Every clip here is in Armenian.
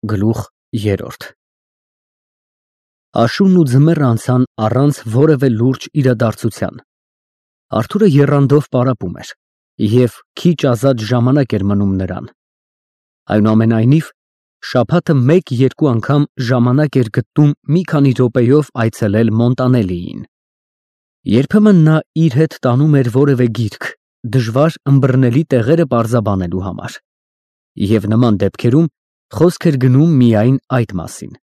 Գլուխ 3 Աշունն ու ձմեռը անցան առանց որևէ լուրջ իրադարձության։ Արթուրը եռանդով պարապում էր, և քիչ ազատ ժամանակ էր մնում նրան։ Այնուամենայնիվ, շաբաթը մեկ-երկու անգամ ժամանակ էր գտնում մի քանի րոպեով այցելել Մոնտանելիին։ Երբեմն նա իր հետ տանում էր որևէ գիրք, դժվար ըմբռնելի տեղերը պարզաբանելու համար, և նման դեպքերում խոսք էր գնում միայն այդ մասին։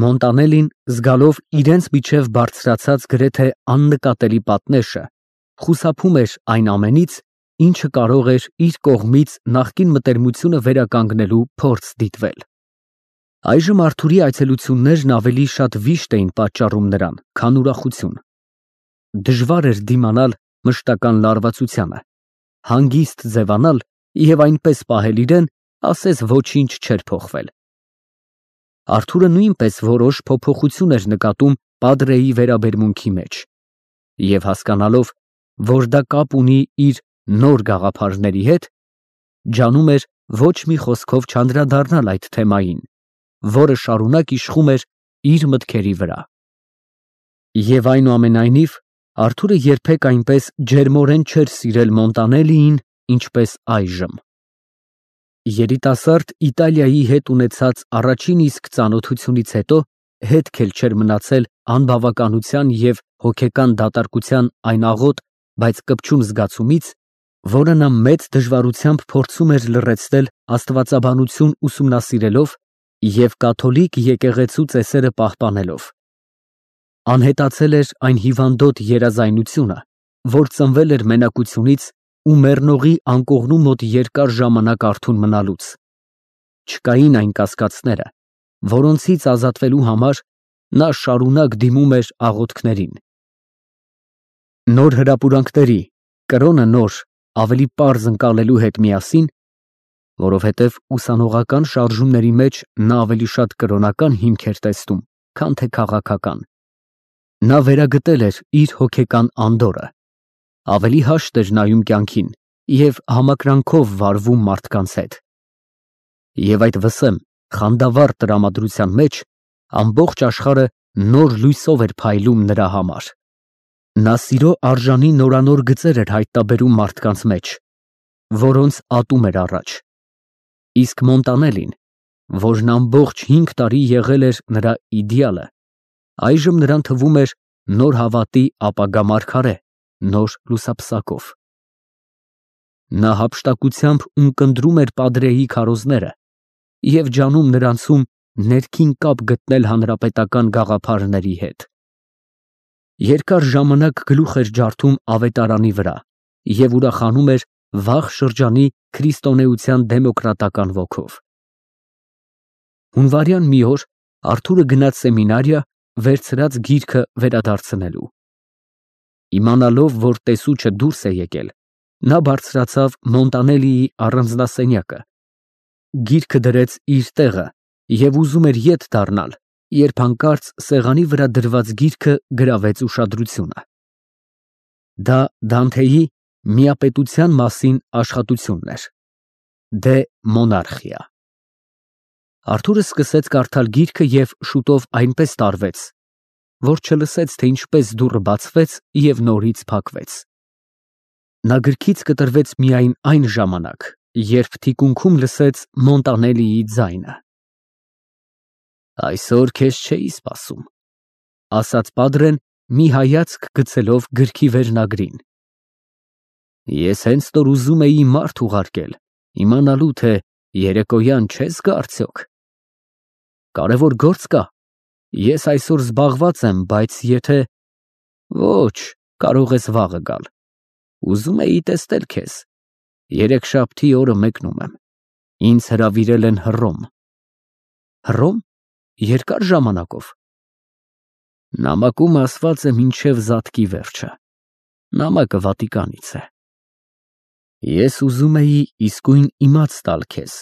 Մոնտանելին, զգալով իրենց միջև բարձրացած գրեթե աննկատելի պատնեշը, խուսափում էր այն ամենից, ինչը կարող էր իր կողմից նախկին մտերմությունը վերականգնելու փորձ դիտվել։ Այժմ Արթուրի այցելություններն ավելի շատ վիշտ էին պատճառում նրան, քան ուրախություն։ Դժվար էր դիմանալ մշտական լարվածությանը, հանգիստ ձևանալ և այնպես պահել իրեն, ասես ոչինչ չէր փոխվել։ Արթուրը նույնպես որոշ փոփոխություն էր նկատում պատրեի վերաբերմունքի մեջ, և հասկանալով, որ դա կապ ունի իր նոր գաղափարների հետ, ջանում էր ոչ մի խոսքով չանդրադառնալ այդ թեմային, որը շարունակ իշխում էր իր մտքերի վրա։ Եվ այնուամենայնիվ, Արթուրը երբեք այնպես ջերմորեն չէր սիրել Մոնտանելիին, ինչպես այժմ։ Երիտասարդ Իտալիայի հետ ունեցած առաջին իսկ ծանոթությունից հետո հետք էլ չէր մնացել անբավականության և հոգեկան դատարկության այն աղոտ, բայց կպչուն զգացումից, որը նա մեծ դժվարությամբ փորձում էր լռեցնել աստվածաբանություն ուսումնասիրելով և կաթոլիկ եկեղեցու ծեսերը պահպանելով։ Անհետացել էր այն հիվանդոտ երազայնությունը, որ ծնվել էր մենակությունից ու մեռնողի անկողնու մոտ երկար ժամանակ արթուն մնալուց։ Չկային այն կասկածները, որոնցից ազատվելու համար նա շարունակ դիմում էր աղոթքներին։ Նոր հրապուրանքների, կրոնը նոր, ավելի պարզ ընկալելու հետ միասին, որովհետև ուսանողական շարժումների մեջ նա ավելի շատ կրոնական հիմք էր տեսնում, քան թե քաղաքական, նա վերագտել էր իր հոգեկան անդորրը, ավելի հաշտ էր նայում կյանքին և համակրանքով վարվում մարդկանց հետ։ Եվ այդ վսեմ, խանդավառ տրամադրության մեջ ամբողջ աշխարհը նոր լույսով էր փայլում նրա համար։ Նա սիրո արժանի նորանոր գծեր էր հայտնաբերում մարդկանց մեջ, որոնց ատում էր առաջ։ Իսկ Մոնտանելին, որն ամբողջ 5 տարի եղել էր նրա իդեալը, այժմ նրան թվում էր նոր հավատի ապագա մարգարե, նոր լուսափսակով։ Նա հափշտակությամբ ունկնդրում էր պատրեի քարոզները և ջանում նրանցում ներքին կապ գտնել հանրապետական գաղափարների հետ։ Երկար ժամանակ գլուխ էր ջարդում ավետարանի վրա և ուրախանում էր վաղ շրջանի քրիստոնեության դեմոկրատական ոգով։ Հունվարյան մի օր Արթուրը գնաց սեմինարիա վերցրած գիրքը վերադարձնելու։ Իմանալով, որ տեսուչը դուրս է եկել, նա բարձրացավ Մոնտանելիի առանձնասենյակը, գիրքը դրեց իր տեղը և ուզում էր ետ դառնալ, երբ հանկարծ սեղանի վրա դրված գիրքը գրավեց ուշադրությունը։ Դա Դանթեի «Միապետության» մասին աշխատությունն էր, «Դե Մոնարխիա»։ Արթուրը սկսեց կարդալ գիրքը և շուտով այնպես տարվեց, որ չլսեց, թե ինչպես դուռը բացվեց և նորից փակվեց։ Նա գրքից կտրվեց միայն այն ժամանակ, երբ թիկունքում լսեց Մոնտանելիի ձայնը։ «Այսօր քեզ չէի սպասում», ֊ ասաց պատրեն, մի հայացք գցելով գրքի վերնագրին։ «Ես հենց որ ուզում էի մարդ ուղարկել, իմանալու, թե երեկոյան չես գա արդյոք։ Կարևոր գործ կա, ես այսօր զբաղված եմ, բայց եթե… Ոչ, կարող ես վաղը գալ, ուզում էի տեսնել քեզ, երեքշաբթի օրը մեկնում եմ, ինձ հրավիրել են Հռոմ։ Հռոմ, երկար ժամանակով։ Նամակում ասված է մինչև զատկի վերջը, նամակը Վատիկանից է։ Ես ուզում էի իսկույն իմաց տալ քեզ,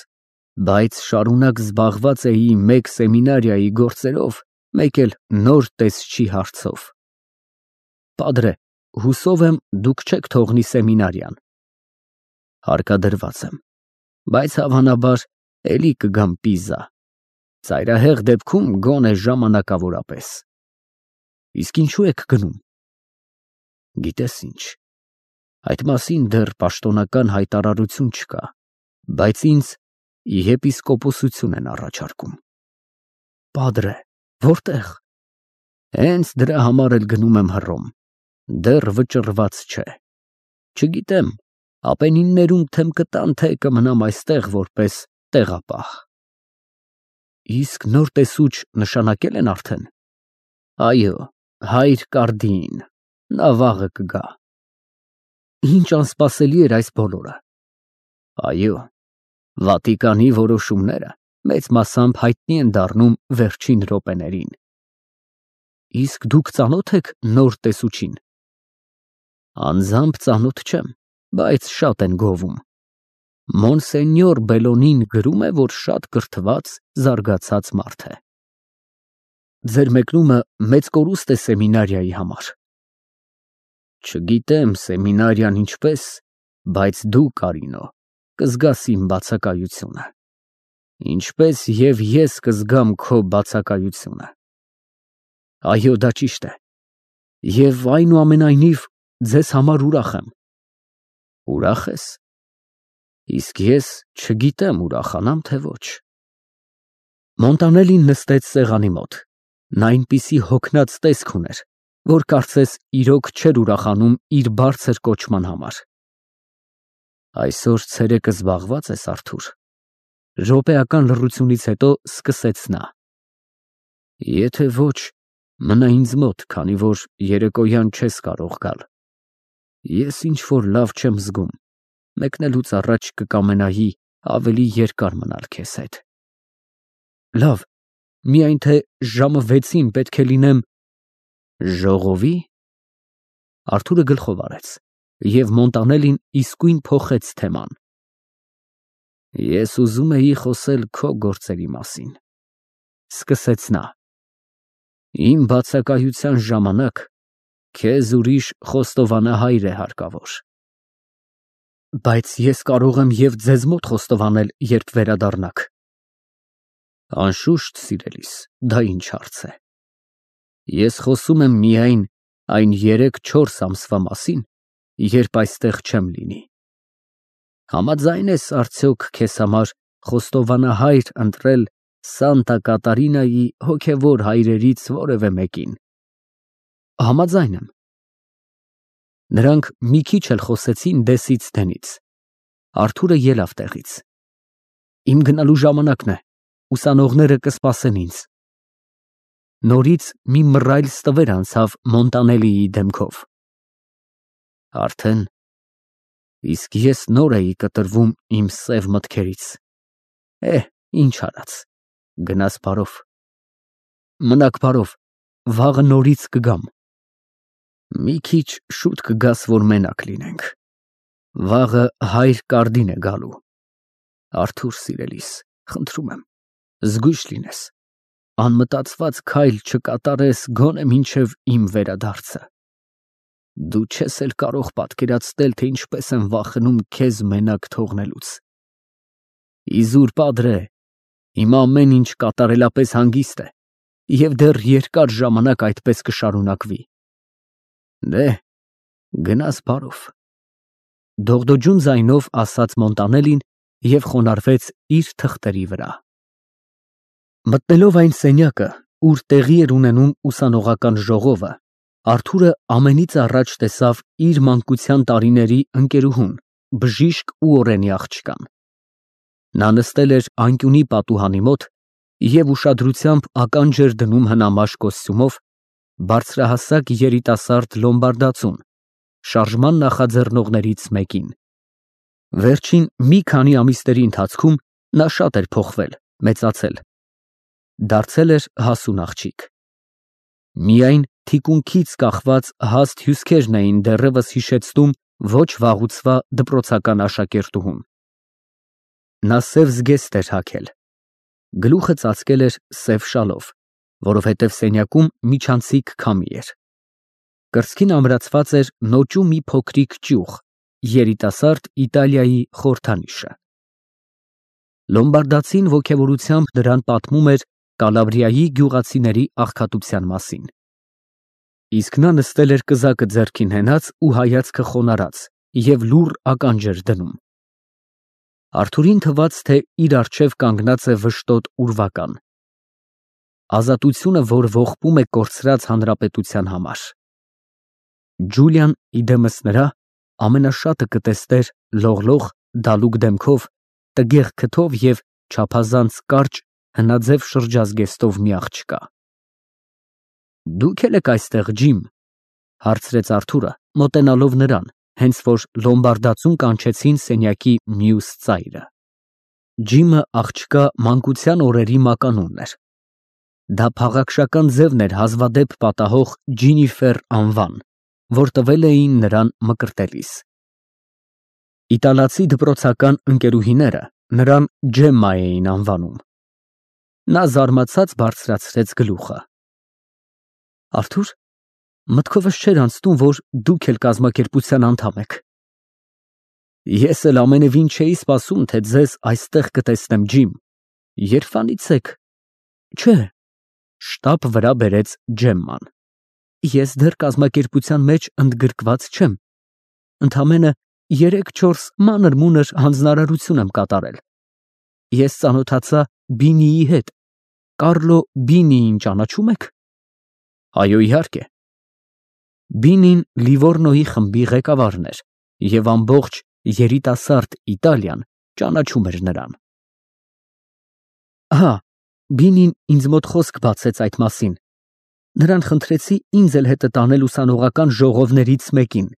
բայց շարունակ զբաղված էի մեկ սեմինարիայի գործերով, մեկ էլ նոր տեսչի հարցով։ Պատրե, հուսով եմ, դուք չեք թողնի սեմինարիան։ Հարկադրված եմ, բայց հավանաբար էլի կգամ Պիզա։ Ծայրահեղ դեպքում գոնե ժամանակավորապես։ Իսկ ինչու եք գնում։ Գիտես ինչ, այդ մասին դեռ պաշտոնական հայտարարություն չկա, բայց ինձ եպիսկոպոսություն են առաջարկում։ Պադրե, որտեղ։ Հենց դրա համար էլ գնում եմ Հռոմ, դեռ վճռված չէ։ Չգիտեմ, ապենիններում թեմ կտան, թե կմնամ այստեղ որպես տեղապահ։ Իսկ նոր տեսուչ նշանակել են արդեն։ Այո, հայր Կարդին, նա վաղը կգա։ Ինչ անսպասելի էր այս բոլորը։ Այո, Վատիկանի որոշումները մեծ մասամբ հայտնի են դառնում վերջին րոպեներին։ Իսկ դուք ծանոթ եք նոր տեսուչին։ Անձամբ ծանոթ չեմ, բայց շատ են գովում։ Մոնսենյոր Բելոնին գրում է, որ շատ կրթված, զարգացած մարդ է։ Ձեր մեկնումը մեծ կորուստ է սեմինարիայի համար։ Չգիտեմ սեմինարիան ինչպես, բայց դու, Կարինո, կզգաս իմ բացակայությունը։ Ինչպես և ես կզգամ քո բացակայությունը։ Այո, դա ճիշտ է։ Եվ այնուամենայնիվ ձեզ համար ուրախ եմ։ Ուրախ ես։ Իսկ ես չգիտեմ ուրախանամ, թե ոչ։ Մոնտանելին նստեց սեղանի մոտ։ Նա այնպիսի հոգնած տեսք ուներ, որ կարծես իրոք չէր ուրախանում իր բարձր կոչման համար։ Այսօր ցերեկը զբաղված ես, Արթուր։ Րոպեական լռությունից հետո սկսեց նա. Եթե ոչ, մնա ինձ մոտ, քանի որ երեկոյան չես կարող գալ։ Ես ինչ-որ լավ չեմ զգում, մեկնելուց առաջ կկամենայի ավելի երկար մնալ քեզ հետ։ Լավ, միայն թե ժամը 6-ին պետք է լինեմ ժողովի։ Արթուրը գլխով արեց, և Մոնտանելին իսկույն փոխեց թեման։ Ես ուզում էի խոսել քո գործերի մասին, սկսեց նա։ Իմ բացակայության ժամանակ քեզ ուրիշ խոստովանահայր է հարկավոր։ Բայց ես կարող եմ և ձեզ մոտ խոստովանել, երբ վերադառնաք։ Անշուշտ, սիրելիս, դա ինչ հարց է։ Ես խոսում եմ միայն այն 3-4 ամսվա մասին, երբ այստեղ չեմ լինի։ Համաձայն ես արդյոք քեզ համար խոստովանահայր ընտրել Սանտա Կատարինայի հոգևոր հայրերից որևէ մեկին։ Համաձայն եմ։ Նրանք մի քիչ էլ խոսեցին դեսից դենից։ Արթուրը ելավ տեղից։ Իմ գնալու ժամանակն է, ուսանողները կսպասեն ինձ։ Նորից մի մռայլ ստվեր անցավ Մոնտանելիի դեմքով։ Արդեն, իսկ ես նոր էի կտրվում իմ սև մտքերից։ Ինչ արած, գնաս բարով։ Մնաք բարով, վաղը նորից կգամ։ Մի քիչ շուտ կգաս, որ մենակ լինենք։ Վաղը հայր Կարդին է գալու։ Արթուր սիրելիս, խնդրում եմ, զգույշ լինես, անմտածված քայլ չկատարես գոնե մինչև իմ վերադարձը։ Դու չես էլ կարող պատկերացնել, թե ինչպես եմ վախենում քեզ մենակ թողնելուց։ Իզուր Պադրե, հիմա ամեն ինչ կատարելապես հանգիստ է, և դեռ երկար ժամանակ այդպես կշարունակվի։ Դե, գնաս բարով։ Դողդոջուն ձայնով ասաց Մոնտանելին և խոնարհվեց իր թղթերի վրա։ Մտնելով այն սենյակը, ուր տեղի էր ունենում ուսանողական ժողովը, Արթուրը ամենից առաջ տեսավ իր մանկության տարիների ընկերուհուն, բժիշկ ու օրենի աղջկան։ Նա նստել էր անկյունի պատուհանի մոտ և ուշադրությամբ ականջ էր դնում հնամաշ կոստյումով բարձրահասակ երիտասարդ լոմբարդացուն, շարժման նախաձեռնողներից մեկին։ Վերջին մի քանի ամիսների ընթացքում նա շատ էր փոխվել, մեծացել։ Դարձել էր հասուն աղջիկ։ Միայն թիկունքից կախված հաստ հյուսքերն էին դեռևս հիշեցնում ոչ վաղուցվա դպրոցական աշակերտուհուն։ Նա սև զգեստ էր հագել։ Գլուխը ծածկել էր սև շալով, որովհետև սենյակում միջանցիկ քամի էր։ Կրծքին ամրացված էր նոճու մի փոքրիկ ճյուղ, երիտասարդ Իտալիայի խորհրդանիշը։ Լոմբարդացին ոգևորությամբ նրան պատմում էր Կալաբրիայի գյուղացիների աղքատության մասին։ Իսկ նա նստել էր կզակը ձեռքին հենած ու հայացքը խոնարհած և լուռ ականջ էր դնում։ Արթուրին թվաց, թե իր առջև կանգնած է վշտոտ ուրվական։ Ազատությունը, որ ողբում է կորցրած հանրապետության համար։ Ջուլիան իդեմս նրա ամենաշատը կտեսներ լողլող, դալուկ դեմքով, տգեղ քթով և չափազանց կարճ, հնաձև շրջազգեստով մի աղջկա։ Դուք էլ եք այստեղ, Ջիմ, հարցրեց Արթուրը, մոտենալով նրան, հենց որ լոմբարդացուն կանչեցին սենյակի մյուս ծայրը։ Ջիմը աղջկա մանկության օրերի մականունն էր։ Դա փաղաքշական ձևն էր հազվադեպ պատահող Ջինիֆեր անվան, որ տվել էին նրան մկրտելիս։ Իտալացի դպրոցական ընկերուհիները նրան Ջեմմա էին անվանում։ Նա զարմացած բարձրացրեց գլուխը։ Արթուր, մտքովս չէր անցնում, որ դուք էլ կազմակերպության անդամ եք։ Ես էլ ամենևին չէի սպասում, թե ձեզ այստեղ կտեսնեմ, Ջիմ։ Երբանից եք։ Չէ, շտապ վրա բերեց Ջեմման։ Ես դեռ կազմակերպության մեջ ընդգրկված չեմ։ Ընդամենը 3-4 մանր-մունր հանձնարարություն եմ կատարել։ Ես ծանոթացա Բինիի հետ։ Կարլո Բինիին ճանաչում եք։ Այո, իհարկե։ Բինին Լիվորնոյի խմբի ղեկավարն էր և ամբողջ երիտասարդ Իտալիան ճանաչում էր նրան։ Ահա, Բինին ինձ մոտ խոսք բացեց այդ մասին։ Նրան խնդրեցի ինձ էլ հետը տանել ուսանողական ժողովներից մեկին։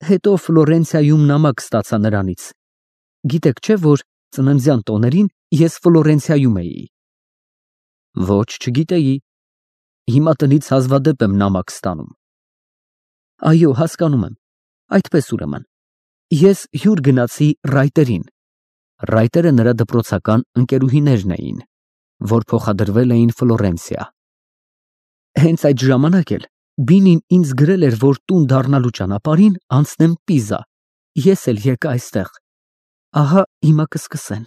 Հետո Ֆլորենցիայում նամակ ստացա նրանից։ Գիտեք չէ, որ ծննդյան տոներին ես Ֆլորենցիայում էի։ Ոչ, չգիտեի։ Հիմա տնից հազվադեպ եմ նամակ ստանում։ Այո, հասկանում եմ։ Այդպես ուրեմն։ Ես հյուր գնացի Ռայտերին։ Ռայտերը նրա դպրոցական ընկերուհիներն էին, որ փոխադրվել էին Ֆլորենցիա։ Հենց այդ ժամանակ էլ Բինին ինձ գրել էր, որ տուն դառնալու ճանապարհին անցնեմ Պիզա։ Ես էլ եկա այստեղ։ Ահա հիմա կսկսեն։